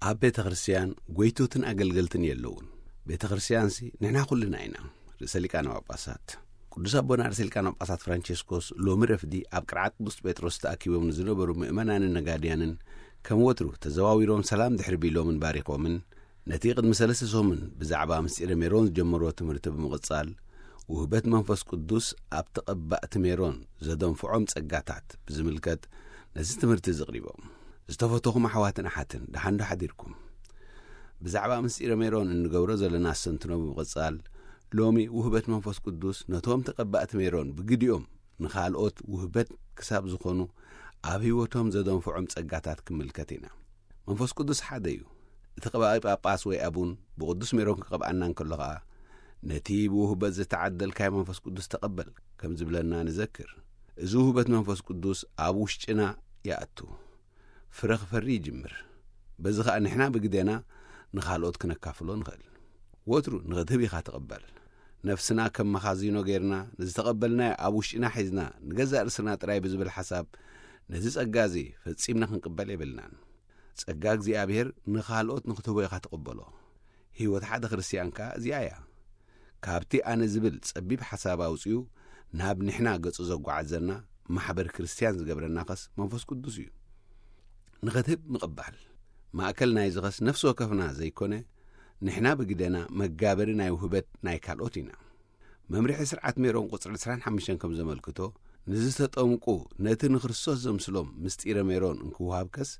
ኣብ ቤተ ክርስቲያን ጎይቶትን ኣገልገልትን የለውን። ቤተ ክርስቲያንሲ ንሕና ኩልና ኢና። ርእሰ ሊቃነ ጳጳሳት ቅዱስ ኣቦና ርእሰ ሊቃነ ጳጳሳት ፍራንቸስኮስ ሎሚ ረፍዲ ኣብ ቅርዓት ቅዱስ ጴጥሮስ ተኣኪቦም ንዝነበሩ ምእመናንን ነጋድያንን ከም ወትሩ ተዘዋዊሮም ሰላም ድሕሪ ቢሎምን ባሪኾምን፣ ነቲ ቅድሚ ሰለስተ ሰሙን ብዛዕባ ምስጢረ ሜሮን ዝጀመርዎ ትምህርቲ ብምቕጻል፣ ውህበት መንፈስ ቅዱስ ኣብ ተቐባእቲ ሜሮን ዘደንፍዖም ጸጋታት ብዝምልከት ነዚ ትምህርቲ እዚ ኣቕሪቦም። ዝተፈተኹም ኣሕዋትን ኣሓትን፣ ደሓን ዶ ሓዲርኩም? ብዛዕባ ምስጢረ ሜሮን እንገብሮ ዘለና ኣስተንትኖ ብምቕጻል፣ ሎሚ ውህበት መንፈስ ቅዱስ ነቶም ተቐባእቲ ሜሮን ብግዲኦም ንኻልኦት ውህበት ክሳብ ዝኾኑ ኣብ ህይወቶም ዘደንፍዖም ጸጋታት ክምልከት ኢና። መንፈስ ቅዱስ ሓደ እዩ። እቲ ቀባኢ ጳጳስ ወይ ኣቡን ብቕዱስ ሜሮን ክቐብኣና እንከሎ ኸኣ፣ ነቲ ብውህበት ዝተዓደልካዮ መንፈስ ቅዱስ ተቐበል ከም ዝብለና ንዘክር። እዚ ውህበት መንፈስ ቅዱስ ኣብ ውሽጥና ይኣቱ፣ ፍረ ክፈሪ ይጅምር። በዚ ኸኣ ንሕና ብግዴና ንኻልኦት ክነካፍሎ ንኽእል። ወትሩ ንኽትህብ ኢኻ ትቕበል። ነፍስና ከም መኻዚኖ ጌርና ንዝተቐበልናዮ ኣብ ውሽጥና ሒዝና ንገዛእ ርእስና ጥራይ ብዝብል ሓሳብ ነዚ ጸጋ እዚ ፈጺምና ክንቅበል የብልናን። ጸጋ እግዚኣብሔር ንኻልኦት ንኽትህቦ ኢኻ ትቕበሎ። ህይወት ሓደ ክርስትያን ከኣ እዚኣ እያ። ካብቲ ኣነ ዝብል ጸቢብ ሓሳብ ኣውጺኡ ናብ ንሕና ገጹ ዘጓዓዘና ማሕበር ክርስትያን ዝገብረና ኸስ መንፈስ ቅዱስ እዩ። ንኽትህብ ምቕባል። ማእከል ናይዚ ኸስ ነፍሲ ወከፍና ዘይኮነ፣ ንሕና ብግደና መጋበሪ ናይ ውህበት ናይ ካልኦት ኢና። መምርሒ ስርዓት ሜሮን ቁጽሪ ዕስራን ሓሙሽተን ከም ዘመልክቶ፣ ንዝተጠምቁ ነቲ ንክርስቶስ ዘምስሎም ምስጢረ ሜሮን እንክወሃብ ከስ፣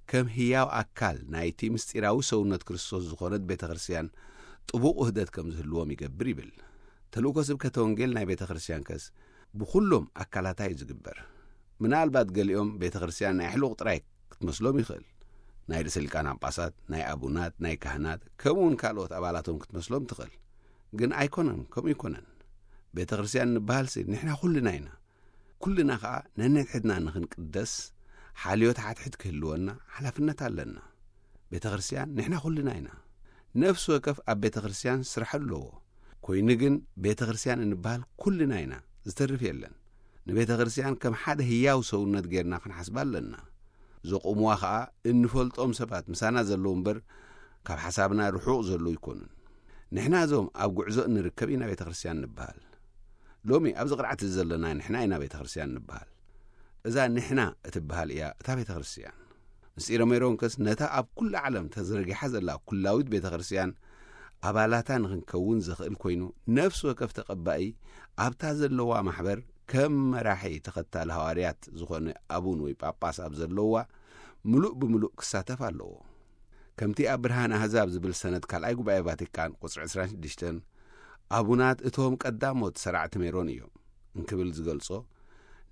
ከም ህያው ኣካል ናይቲ ምስጢራዊ ሰውነት ክርስቶስ ዝኾነት ቤተ ክርስቲያን ጥቡቕ ውህደት ከም ዝህልዎም ይገብር ይብል። ተልእኮ ስብከተ ወንጌል ናይ ቤተ ክርስቲያን ከስ ብኹሎም ኣካላታ እዩ ዝግበር። ምናልባት ገሊኦም ቤተ ክርስቲያን ናይ ኣሕሉቕ ጥራይ ክትመስሎም ይኽእል። ናይ ርእሰ ሊቃነ ጳጳሳት፣ ናይ ኣቡናት፣ ናይ ካህናት፣ ከምኡ እውን ካልኦት ኣባላቶም ክትመስሎም ትኽእል። ግን ኣይኮነን፣ ከምኡ ኣይኮነን። ቤተ ክርስቲያን ንበሃልሲ ንሕና ኩልና ኢና። ኩልና ኸኣ ነንሕድሕድና ንኽንቅደስ፣ ሓልዮት ሓድሕድ ክህልወና ሓላፍነት ኣለና። ቤተ ክርስቲያን ንሕና ኩልና ኢና። ነፍሲ ወከፍ ኣብ ቤተ ክርስቲያን ስራሕ ኣለዎ። ኮይኑ ግን ቤተ ክርስቲያን እንበሃል ኩልና ኢና፣ ዝተርፍ የለን። ንቤተ ክርስቲያን ከም ሓደ ህያው ሰውነት ጌርና ክንሓስባ ኣለና። ዘቑምዋ ኸኣ እንፈልጦም ሰባት ምሳና ዘለዉ እምበር፣ ካብ ሓሳብና ርሑቕ ዘለዉ ኣይኮኑን። ንሕና እዞም ኣብ ጉዕዞ እንርከብ ኢና ቤተ ክርስቲያን ንበሃል። ሎሚ ኣብዚ ቅርዓት እዚ ዘለና ንሕና ኢና ቤተ ክርስቲያን ንበሃል። እዛ ንሕና እትበሃል እያ እታ ቤተ ክርስቲያን። ምስጢረ ሜሮን ከስ ነታ ኣብ ኩላ ዓለም ተዘርጊሓ ዘላ ኩላዊት ቤተ ክርስቲያን ኣባላታ ንኽንከውን ዘኽእል ኮይኑ፣ ነፍሲ ወከፍ ተቐባኢ ኣብታ ዘለዋ ማሕበር ከም መራሒ ተኸታሊ ሃዋርያት ዝኾነ ኣቡን ወይ ጳጳስ ኣብ ዘለዋ ምሉእ ብምሉእ ክሳተፍ ኣለዎ። ከምቲ ኣብ ብርሃን ኣህዛብ ዝብል ሰነድ ካልኣይ ጉባኤ ቫቲካን ቁጽሪ ዕስራን ሽዱሽተን፣ ኣቡናት እቶም ቀዳሞት ሰራዕቲ ሜሮን እዮም እንክብል ዝገልጾ፣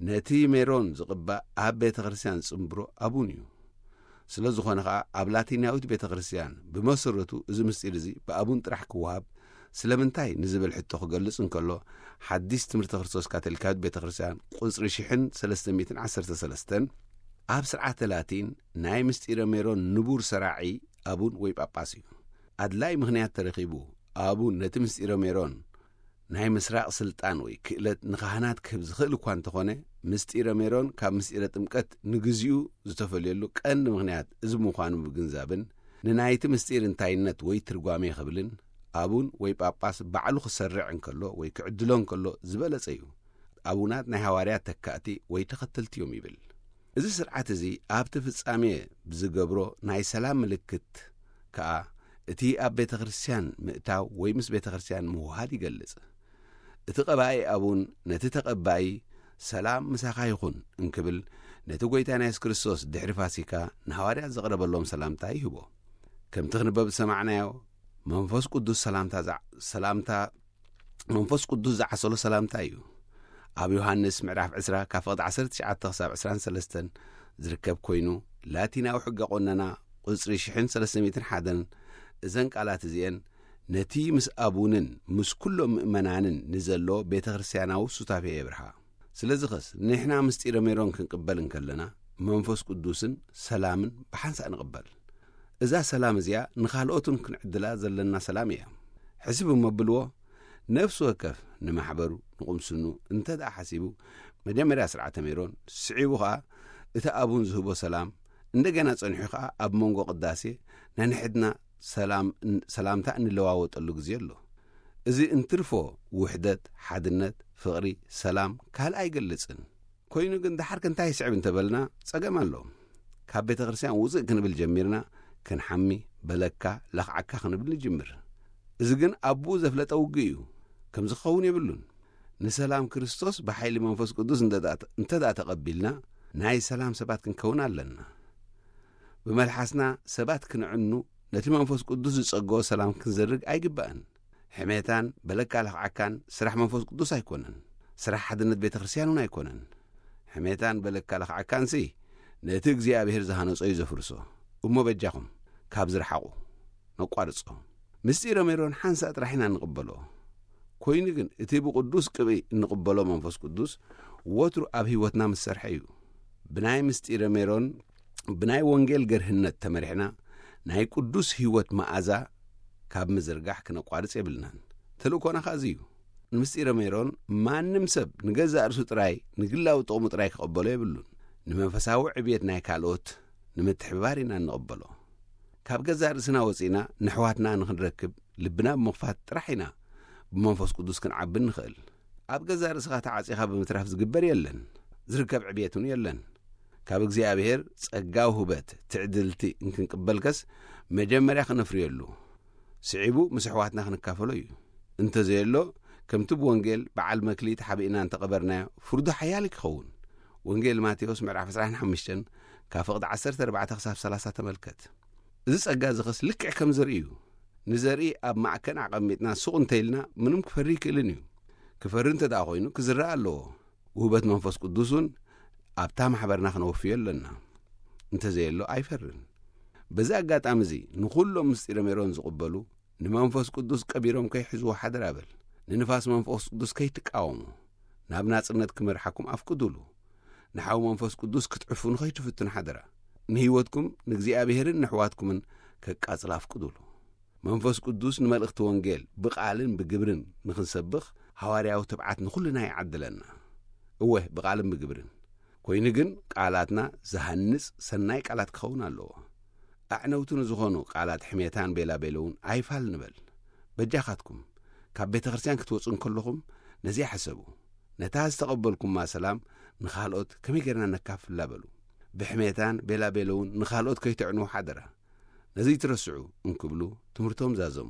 ነቲ ሜሮን ዝቕባእ ኣብ ቤተ ክርስቲያን ዝጽንብሮ ኣቡን እዩ። ስለ ዝኾነ ኸኣ ኣብ ላቲናዊት ቤተ ክርስቲያን ብመሰረቱ እዚ ምስጢር እዚ ብኣቡን ጥራሕ ክወሃብ ስለምንታይ ንዝብል ሕቶ ክገልጽ እንከሎ፣ ሓዲስ ትምህርቲ ክርስቶስ ካቶሊካዊት ቤተ ክርስቲያን ቁጽሪ ሽሕን ሰለስተ ሚእትን ዓሰርተ ሰለስተን ኣብ ስርዓተ ላቲን ናይ ምስጢረ ሜሮን ንቡር ሰራዒ ኣቡን ወይ ጳጳስ እዩ። ኣድላይ ምኽንያት ተረኺቡ ኣቡን ነቲ ምስጢረ ሜሮን ናይ ምስራቕ ስልጣን ወይ ክእለት ንኻህናት ክህብ ዝኽእል እኳ እንተኾነ፣ ምስጢረ ሜሮን ካብ ምስጢረ ጥምቀት ንግዚኡ ዝተፈልየሉ ቀንዲ ምኽንያት እዚ ምዃኑ ምግንዛብን፣ ንናይቲ ምስጢር እንታይነት ወይ ትርጓሜ ክብልን፣ ኣቡን ወይ ጳጳስ ባዕሉ ክሰርዕ እንከሎ ወይ ክዕድሎ እንከሎ ዝበለጸ እዩ። ኣቡናት ናይ ሃዋርያት ተካእቲ ወይ ተኸተልቲ እዮም ይብል። እዚ ስርዓት እዚ ኣብቲ ፍጻሜ ብዝገብሮ ናይ ሰላም ምልክት ከኣ፣ እቲ ኣብ ቤተ ክርስቲያን ምእታው ወይ ምስ ቤተ ክርስቲያን ምውሃድ ይገልጽ። እቲ ቀባኢ ኣቡን ነቲ ተቐባኢ፣ "ሰላም ምሳኻ ይኹን" እንክብል፣ ነቲ ጐይታና የሱስ ክርስቶስ ድሕሪ ፋሲካ ንሃዋርያት ዘቕረበሎም ሰላምታ ይህቦ። ከምቲ ክንበብ ዝሰማዕናዮ፣ መንፈስ ቅዱስ ሰላምታ ዝዓ-፣ ሰላምታ፣ መንፈስ ቅዱስ ዝዓሰሎ ሰላምታ እዩ። ኣብ ዮሃንስ ምዕራፍ ዕስራ ካብ ፍቕዲ ዓሰርተ ትሽዓተ ክሳብ ዕስራን ሰለስተን ዝርከብ ኮይኑ፣ ላቲናዊ ሕገ ቆነና ቁጽሪ ሽሕን ሰለስተ ሚእትን ሓደን፣ እዘን ቃላት እዚኤን ነቲ ምስ ኣቡንን ምስ ኩሎም ምእመናንን ንዘሎ ቤተ ክርስቲያናዊ ሱታፌ የብርሃ። ስለዚ ኸስ ንሕና ምስጢረ ሜሮን ክንቅበል እንከለና፣ መንፈስ ቅዱስን ሰላምን ብሓንሳእ ንቕበል። እዛ ሰላም እዚኣ ንኻልኦትን ክንዕድላ ዘለና ሰላም እያ። ሕስብ እሞ ብልዎ፣ ነፍሲ ወከፍ ንማሕበሩ፣ ንቁምስኑ እንተ ደኣ ሓሲቡ፣ መጀመርያ ስርዓተ ሜሮን፣ ስዒቡ ኸኣ እቲ ኣቡን ዝህቦ ሰላም፣ እንደገና ጸኒሑ ኸኣ ኣብ መንጎ ቅዳሴ ናይ ንሕድና ሰላም፣ ሰላምታ እንለዋወጠሉ ግዜ ኣሎ። እዚ እንትርፎ ውሕደት፣ ሓድነት፣ ፍቕሪ፣ ሰላም ካልእ ኣይገልጽን። ኮይኑ ግን ደሓር ከ እንታይ ይስዕብ እንተበልና ጸገም ኣሎ። ካብ ቤተ ክርስቲያን ውጽእ ክንብል ጀሚርና ክንሓሚ፣ በለካ፣ ለኽዓካ ክንብል ንጅምር። እዚ ግን ኣቦኡ ዘፍለጠ ውግእ እዩ። ከምዚ ክኸውን የብሉን። ንሰላም ክርስቶስ ብሓይሊ መንፈስ ቅዱስ እንተ ደኣ፣ እንተ ደኣ ተቐቢልና ናይ ሰላም ሰባት ክንከውን ኣለና። ብመልሓስና ሰባት ክንዕኑ ነቲ መንፈስ ቅዱስ ዝጸግኦ ሰላም ክንዘርግ ኣይግባእን። ሕሜታን በለካ ለኽዓካን ስራሕ መንፈስ ቅዱስ ኣይኮነን። ስራሕ ሓድነት ቤተ ክርስቲያን እውን ኣይኮነን። ሕሜታን በለካ ለኽዓካንሲ ነቲ እግዚኣብሔር ዝሃነጾ እዩ ዘፍርሶ። እሞ በጃኹም ካብ ዝረሓቑ ነቋርጾ። ምስጢረ ሜሮን ሓንሳእ ጥራሕ ኢና እንቕበሎ። ኮይኑ ግን እቲ ብቅዱስ ቅብኢ እንቕበሎ መንፈስ ቅዱስ ወትሩ ኣብ ህይወትና ምስ ሰርሐ እዩ። ብናይ ምስጢረ ሜሮን ብናይ ወንጌል ገርህነት ተመሪሕና ናይ ቅዱስ ህይወት መኣዛ ካብ ምዝርጋሕ ክነቋርጽ የብልናን። ተልእኮና ኸኣ እዚ እዩ። ንምስጢረ ሜሮን ማንም ሰብ ንገዛእ ርእሱ ጥራይ ንግላዊ ጥቕሙ ጥራይ ክቐበሎ የብሉን። ንመንፈሳዊ ዕብየት ናይ ካልኦት ንምትሕብባር ኢና እንቕበሎ። ካብ ገዛእ ርእስና ወጺእና ንሕዋትና ንኽንረክብ ልብና ብምኽፋት ጥራሕ ኢና ብመንፈስ ቅዱስ ክንዓቢ ንኽእል። ኣብ ገዛእ ርእስኻ ተዓጺኻ ብምትራፍ ዝግበር የለን፣ ዝርከብ ዕብየት እውን የለን። ካብ እግዚኣብሔር ጸጋ ውህበት ትዕድልቲ እንክንቅበልከስ መጀመርያ ክነፍርየሉ፣ ስዒቡ ምስ ኣሕዋትና ክንካፈሎ እዩ። እንተዘየሎ ከምቲ ብወንጌል በዓል መክሊት ሓቢእና እንተቐበርናዮ ፍርዱ ሓያል ክኸውን። ወንጌል ማቴዎስ ምዕራፍ ዕስራን ሓሙሽተን ካብ ፍቕዲ ዓሰርተ ኣርባዕተ ክሳብ ሰላሳ ተመልከት። እዚ ጸጋ እዚ ኸስ ልክዕ ከም ዘርኢ እዩ። ንዘርኢ ኣብ ማዕከን ኣቐሚጥና ሱቕ እንተኢልና ምንም ክፈሪ ይክእልን እዩ። ክፈሪ እንተ ደኣ ኮይኑ ክዝራእ ኣለዎ። ውህበት መንፈስ ቅዱስ እውን ኣብታ ማሕበርና ክነወፍዮ ኣለና። እንተዘየሎ ኣይፈርን። በዚ ኣጋጣሚ እዚ ንኹሎም ምስጢረ ሜሮን ዝቕበሉ ንመንፈስ ቅዱስ ቀቢሮም ከይሕዝዎ ሓደራ በል። ንንፋስ መንፈስ ቅዱስ ከይትቃወሙ። ናብ ናጽነት ክመርሓኩም ኣፍቅዱሉ። ንሓው መንፈስ ቅዱስ ክትዕፍኑ ከይትፍትኑ ሓደራ። ንህይወትኩም ንእግዚኣብሔርን ንሕዋትኩምን ከቃጽል ኣፍቅዱሉ። መንፈስ ቅዱስ ንመልእኽቲ ወንጌል ብቓልን ብግብርን ንኽንሰብኽ ሃዋርያዊ ትብዓት ንኹልና ይዓድለና። እወ፣ ብቓልን ብግብርን። ኮይኑ ግን ቃላትና ዝሃንጽ ሰናይ ቃላት ክኸውን ኣለዎ። ኣዕነውቲ ንዝኾኑ ቃላት ሕሜታን ቤላቤለውን ኣይፋል ንበል። በጃኻትኩም፣ ካብ ቤተ ክርስቲያን ክትወጹ እንከለኹም ነዚኣ ሕሰቡ። ነታ ዝተቐበልኩማ ሰላም ንኻልኦት ከመይ ጌርና ነካፍላ በሉ። ብሕሜታን ቤላቤለውን ንኻልኦት ከይተዕንዉ ሓደራ። ነዚ ትረስዑ እንክብሉ ትምህርቶም ዛዘሙ።